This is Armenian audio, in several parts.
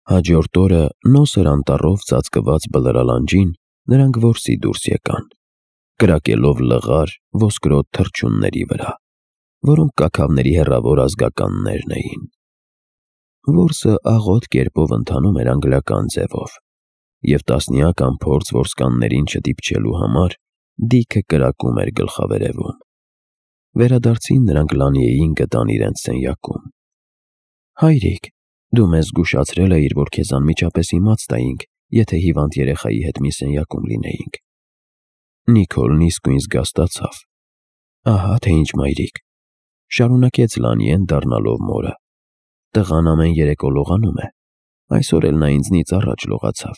Հաջորդ օրը նոսր անտառով ծածկված բլրալանջին նրանք որսի դուրս եկան, կրակելով լղար ոսկրոտ թռչունների վրա, որոնք կաքավների հեռավոր ազգականներն էին։ Որսը աղոտ կերպով ընթանում էր անգլիական ձևով, և տասնյակ անփորձ որսկաններին չդիպչելու համար Դիքը կրակում էր գլխավերևում։ Վերադարձին նրանք Լանիեին գտան իրենց սենյակում։ «Հայրիկ, դու մեզ զգուշացրել էիր, որ քեզ անմիջապես իմաց տայինք, եթե հիվանդ երեխայի հետ մի սենյակում լինեինք»։ Նիկոլն իսկույն զգաստացավ։ «Ահա թե ինչ, մայրիկ», շարունակեց Լանիեն դառնալով մորը։ «Տղան ամեն երեկո լողանում է, այսօր էլ նա ինձնից առաջ լողացավ,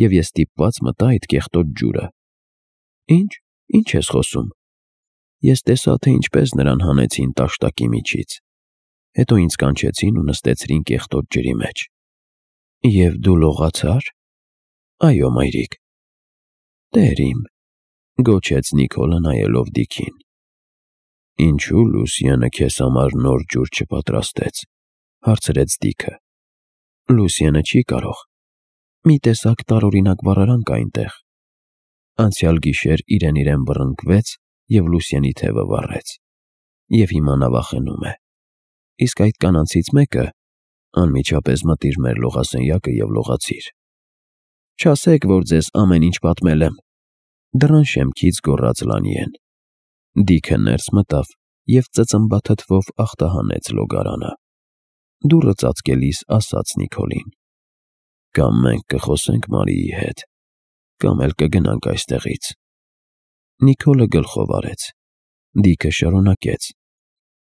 և ես ստիպված մտա այդ կեղտոտ ջուրը»։ Ինչ ես խոսում։ Ես տեսա, թե ինչպես նրան հանեցին տաշտակի միջից, հետո ինձ կանչեցին ու նստեցրին կեղտոտ ջրի մեջ։ Եվ դու լողացա՞ր։ Այո, մայրիկ։ Տեր իմ, գոչեց Նիկոլը նայելով Դիքին։ Ինչու Լուսիանը քեզ համար նոր ջուր չպատրաստեց, հարցրեց Դիքը։ Լուսիանը չի կարող։ Մի տեսակ տարօրինակ վառարանք այնտեղ։ Անցյալ գիշեր իրեն բռնկվեց և Լուսիանի թևը վառեց, և հիմա նա վախենում է։ Իսկ այդ կանանցից մեկը անմիջապես մտիր մեր լողասենյակը և լողացիր։ Չասեք, որ ձեզ ամեն ինչ պատմել եմ, դռան շեմքից գոռաց Լանիեն։ Դիքը ներս մտավ և ծծմբաթթվով ախտահանեց լոգարանը։ Դուռը ծածկելիս ասաց Նիկոլին. «Կամ մենք կխոսենք Մարիի հետ, կամ էլ կգնանք այստեղից»։ Նիկոլը գլխով արեց։ Դիքը շարունակեց.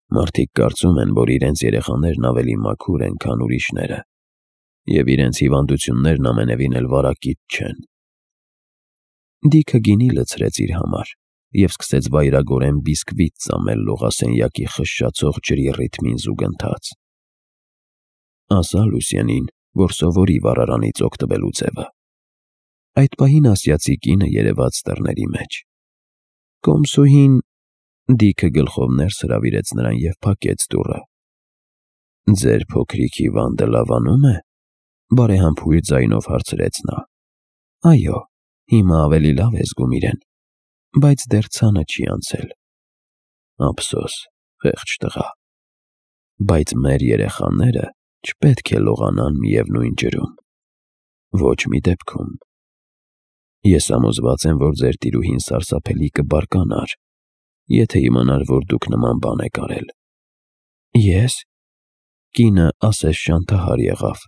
«Մարդիկ կարծում են, որ իրենց երեխաներն ավելի մաքուր են, քան ուրիշները, և իրենց հիվանդություններն ամենևին էլ վարակիչ չեն»։ Դիքը գինի լցրեց իր համար և սկսեց վայրագորեն բիսկվիտ ծամել լողասենյակի խշշացող ջրի ռիթմին զուգընթաց։ Ասա Լուսիանին, որ սովորի վառարանից օգտվելու ձևը։ Այդ պահին ասիացի կինը երևաց դռների մեջ։ Կոմսուհին… Դիքը գլխով ներս հրավիրեց նրան և փակեց դուռը։ Ձեր փոքրիկ հիվանդը լավանում է, բարեհամբույր ձայնով հարցրեց նա։ Այո, հիմա ավելի լավ է զգում իրեն, բայց դեռ ցանը չի անցել։ Ափսոս, խեղճ տղա։ Բայց մեր երեխաները չպետք է լողանան միևնույն ջրում։ Ոչ մի դեպքում։ Ես համոզված եմ, որ ձեր տիրուհին սարսափելի կբարկանար, եթե իմանար, որ դուք նման բան եք արել։ Ես… Կինը ասես շանթահար եղավ։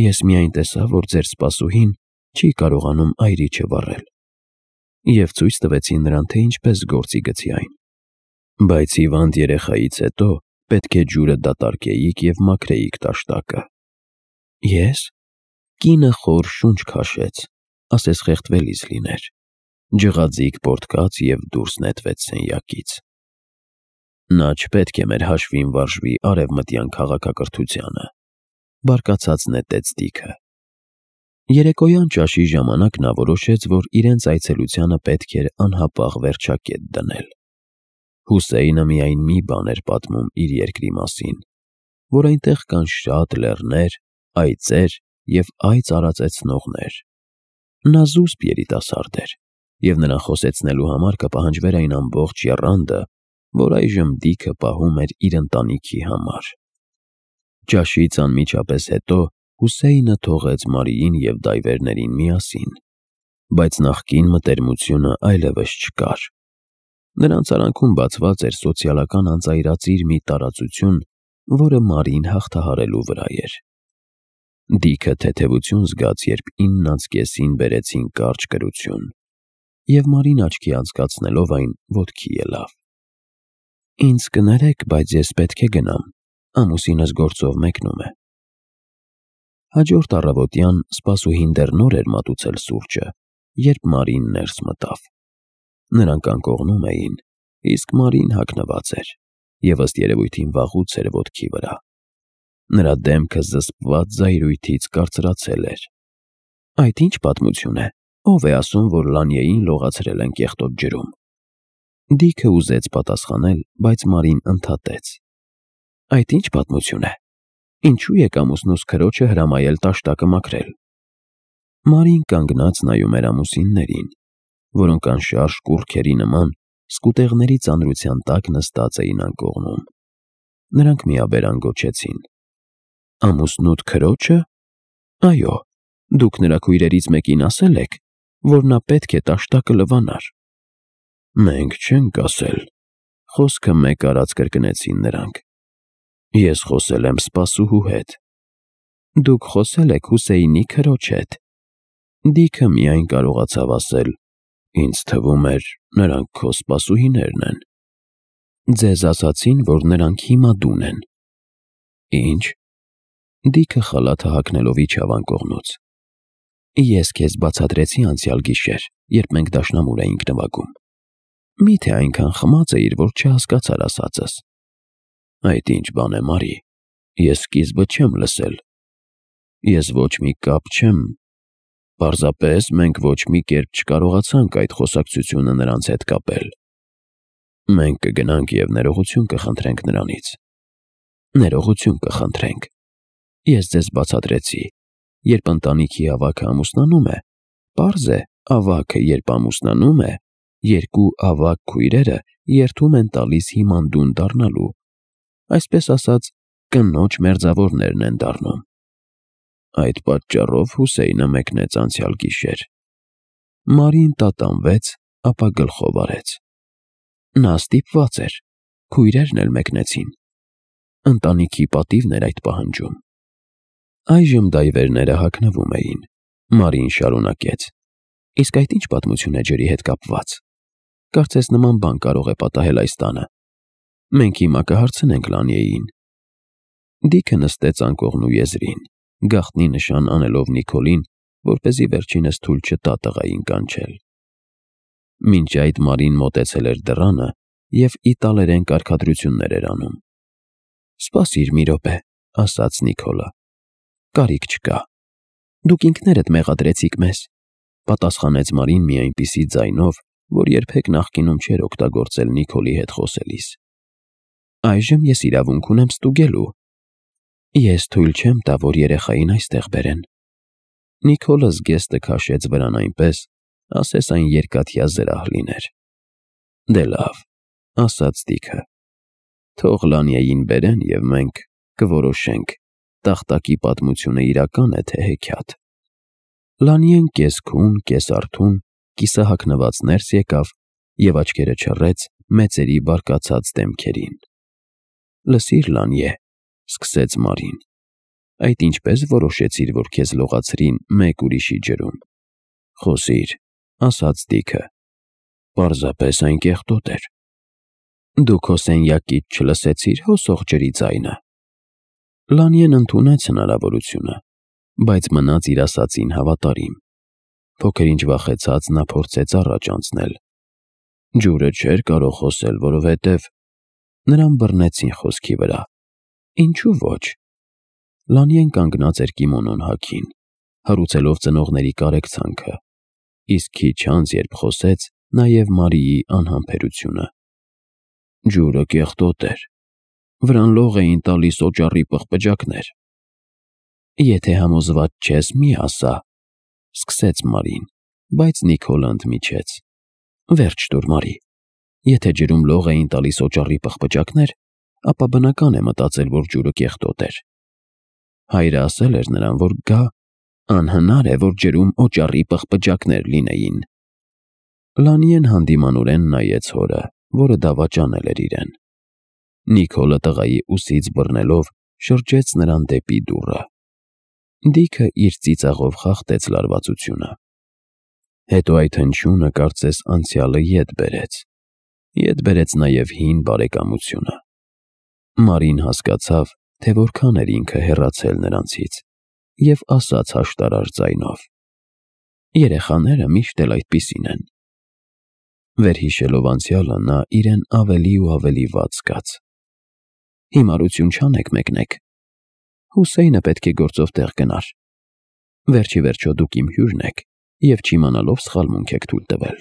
Ես միայն տեսա, որ ձեր սպասուհին չի կարողանում այրիչը վառել, և ցույց տվեցի նրան, թե ինչպես գործի գցի այն։ Բայց հիվանդ երեխայից հետո պետք է ջուրը դատարկեիք և մաքրեիք տաշտակը։ Ես… Կինը խոր շունչ քաշեց, ասես խեղդվելիս լիներ, ջղաձիգ պոռթկաց և դուրս նետվեց սենյակից։ Նա չպետք է մեր հաշվին վարժվի արևմտյան քաղաքակրթությանը, բարկացած նետեց Դիքը։ Երեկոյան ճաշի ժամանակ նա որոշեց, որ իրենց այցելությանը պետք էր անհապաղ վերջակետ դնել։ Հուսեյնը միայն մի բան էր պատմում իր երկրի մասին, որ այնտեղ կան շատ լեռներ, այծեր և այծ արածեցնողներ։ Նա զուսպ երիտասարդ էր, և նրան խոսեցնելու համար կպահանջվեր այն ամբողջ եռանդը, որ այժմ Դիքը պահում էր իր ընտանիքի համար։ Ճաշից անմիջապես հետո Հուսեյնը թողեց Մարիին և դայվերներին միասին, բայց նախկին մտերմությունը այլևս չկար։ Նրանց արանքում բացված էր սոցիալական անծայրածիր մի տարածություն, որը Մարին հաղթահարելու վրա էր։ Դիքը թեթևություն զգաց, երբ 9:30-ին բերեցին կարճ կրություն, և Մարին աչքի անցկացնելով այն ոտքի ելավ։ Ինձ կներեք, բայց ես պետք է գնամ, ամուսինս գործով մեկնում է։ Հաջորդ առավոտյան սպասուհին դեռ նոր էր մատուցել սուրճը, երբ Մարին ներս մտավ։ Նրանք անկողնում էին, իսկ Մարին հագնված էր, և ըստ երևույթին վաղուց էր ոտքի վրա։ Նրա դեմքը զսպված զայրույթից կարծրացել էր։ Այդ ի՞նչ պատմություն է, ով է ասում, որ Լանիեին լողացրել են կեղտոտ ջրում։ Դիքը ուզեց պատասխանել, բայց Մարին ընդհատեց. Այդ ի՞նչ պատմություն է։ Ինչու եք ամուսնուս քրոջը հրամայել տաշտակը մաքրել։ Մարին կանգնած նայում էր ամուսիններին, որոնք անշարժ կուռքերի նման սկուտեղների ծանրության տակ նստած էին անկողնում։ Նրանք միաբերան գոչեցին. ամուսնուդ քրոջը։ Այո, դուք նրա քույրերից մեկին ասել եք, որ նա պետք է տաշտակը լվանար։ Մենք չենք ասել, խոսքը մեկ արած կրկնեցին նրանք։ Ես խոսել եմ սպասուհու հետ։ Դուք խոսել եք Հուսեյնի քրոջ հետ։ Դիքը միայն կարողացավ ասել. ինձ թվում էր, նրանք քո սպասուհիներն են։ Ձեզ ասացին, որ նրանք հիմա դուն են։ Ինչ։ Դիքը խալաթը հագնելով իջավ անկողնուց։ Ես քեզ բացատրեցի անցյալ գիշեր, երբ մենք դաշնամուր էինք նվագում։ Միթե այնքան խմած էիր, որ չհասկացար ասածս։ Այդ ինչ բան է, Մարի, ես սկիզբը չեմ լսել։ Ես ոչ մի կապ չեմ։ Պարզապես մենք ոչ մի կերպ չկարողացանք այդ խոսակցությունը նրանց հետ կապել։ Մենք կգնանք և ներողություն կխնդրենք նրանից։ Ներողություն կխնդրենք։ Ես ձեզ բացատրեցի, երբ ընտանիքի ավագը ամուսնանում է, պարզ է, ավագը երբ ամուսնանում է, երկու ավագ քույրերը երդում են տալիս հիմանդուն դառնալու, այսպես ասած, կնոջ մերձավորներն են դառնում։ Այդ պատճառով Հուսեյնը մեկնեց անցյալ գիշեր։ Մարին տատանվեց, ապա գլխով արեց։ Նա ստիպված էր, քույրերն էլ մեկնեցին։ Ընտանիքի պատիվն էր այդ պահանջում։ Այժմ դայվերները հագնվում էին։ Մարին շարունակեց. Իսկ այդ ինչ պատմություն է ջրի հետ կապված։ Կարծես նման բան կարող է պատահել այս տանը։ Մենք հիմա կհարցնենք Լանիեին։ Դիքը նստեց անկողնու եզրին, գաղտնի նշան անելով Նիկոլին, որպեսզի վերջինս թույլ չտա տղային կանչել։ Մինչ այդ Մարին մոտեցել էր դռանը և իտալերեն կարգադրություններ էր անում։ Սպասիր մի րոպե, ասաց Նիկոլը։ Կարիք չկա։ Դուք ինքներդ մեղադրեցիք մեզ, պատասխանեց Մարին մի այնպիսի ձայնով, որ երբեք նախկինում չէր օգտագործել Նիկոլի հետ խոսելիս։ Այժմ ես իրավունք ունեմ ստուգելու։ Ես թույլ չեմ տա, որ երեխային այստեղ բերեն։ Նիկոլը զգեստը քաշեց վրան այնպես, ասես այն երկաթյա զրահ լիներ։ Դե լավ, ասաց Դիքը։ Թող Լանիեին բերեն և մենք կորոշենք, տախտակի պատմությունը իրական է, թե հեքիաթ։ Լանիեն կես-քուն, կես-արթուն, կիսահագնված ներս եկավ և աչքերը չռեց մեծերի բարկացած դեմքերին։ Լսիր, Լանիե, սկսեց Մարին, այդ ինչպես որոշեցիր, որ քեզ լողացրին մեկ ուրիշի ջրում։ Խոսիր, ասաց Դիքը։ Պարզապես այն կեղտոտ էր։ Դու քո սենյակից չլսեցիր հոսող ջրի ձայնը։ Լանիեն ընդունեց հնարավորությունը, բայց մնաց իր ասածին հավատարիմ։ Փոքր ինչ վախեցած նա փորձեց առաջ անցնել։ Ջուրը չէր կարող խոսել, որովհետև նրան բռնեցին խոսքի վրա։ Ինչու ոչ։ Լանիեն կանգնած էր կիմոնոն հագին, հարուցելով ծնողների կարեկցանքը, իսկ քիչ անց, երբ խոսեց, նաև Մարիի անհամբերությունը։ Ջուրը կեղտոտ էր։ Վրան լող էին տալիս օճառի պղպջակներ։ Եթե համոզված չես, մի ասա, սկսեց Մարին, բայց Նիկոլը ընդմիջեց. Վերջ տուր, Մարի։ Եթե ջրում լող էին տալիս օճառի պղպջակներ, ապա բնական է մտածել, որ ջուրը կեղտոտ էր։ Հայրը ասել էր նրան, որ գա, անհնար է, որ ջրում օճառի պղպջակներ լինեին։ Լանիեն հանդիմանորեն նայեց հորը, որը դավաճանել էր իրեն։ Նիկոլը տղայի ուսից բռնելով շրջեց նրան դեպի դուռը։ Դիքը իր ծիծաղով խախտեց լարվածությունը։ Հետո այդ հնչյունը կարծես անցյալը ետ բերեց։ Ետ բերեց նաև հին բարեկամությունը։ Մարին հասկացավ, թե որքան էր ինքը հեռացել նրանցից, և ասաց հաշտարար ձայնով. Երեխաները միշտ էլ այդպիսին են։ Վերհիշելով անցյալը, նա իրեն ավելի ու ավելի վատ զգաց։ Հիմարություն չանեք մեկնեք։ Հուսեյնը պետք է գործով տեղ գնար։ Վերջի վերջո դուք իմ հյուրն եք և չիմանալով սխալմունք եք թույլ տվել։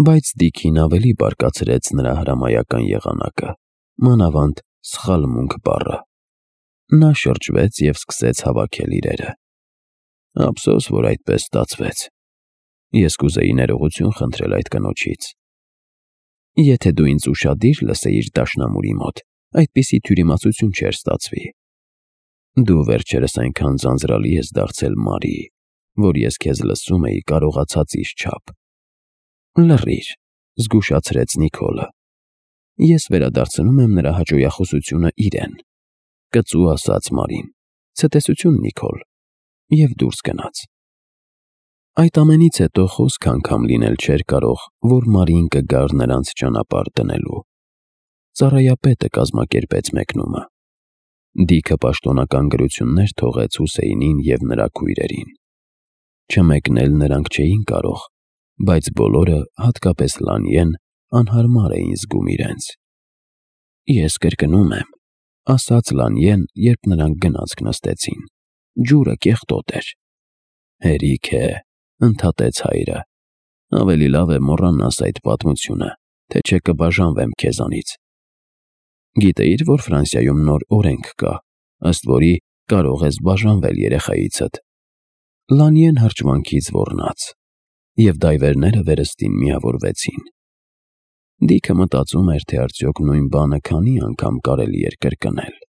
Բայց Դիքին ավելի բարկացրեց նրա հրամայական եղանակը, մանավանդ սխալմունք բառը։ Նա շրջվեց և սկսեց հավաքել իրերը։ Ափսոս, որ այդպես ստացվեց։ Ես կուզեի ներողություն խնդրել այդ կնոջից։ Եթե դու ինձ ուշադիր լսեիր դաշնամուրի մոտ, այդպիսի թյուրիմացություն չէր ստացվի։ Դու վերջերս այնքան ձանձրալի ես դարձել, Մարի, որ ես քեզ լսում էի կարողացածիս չափ։ Լռիր, զգուշացրեց Նիկոլը։ Ես վերադարձնում եմ նրա հաճոյախոսությունը իրեն։ Կծու ասաց Մարին։ Ցտեսություն, Նիկոլ։ Եվ դուրս գնաց։ Այդ ամենից հետո խոսք անգամ լինել չէր կարող, որ Մարին կգար նրանց ճանապարհ դնելու։ Ծառայապետը կազմակերպեց մեկնումը։ Դիքը պաշտոնական գրություններ թողեց Հուսեյնին և նրա քույրերին։ Չմեկնել նրանք չէին կարող, բայց բոլորը, հատկապես Լանիեն, անհարմար էին զգում իրենց։ Ես կրկնում եմ, ասաց Լանիեն, երբ նրանք գնացք նստեցին։ Ջուրը կեղտոտ էր։ Հերիք է, ընդհատեց հայրը։ Ավելի լավ է մոռանաս այդ պատմությունը, թե չէ կբաժանվեմ քեզանից։ Գիտեիր, որ Ֆրանսիայում նոր օրենք կա, ըստ որի կարող ես բաժանվել երեխայիցդ։ Լանիեն հրճվանքից ոռնաց, և դայվերները վերստին միավորվեցին։ Դիքը մտածում էր, թե արդյոք նույն բանը քանի անգամ կարելի էր կրկնել։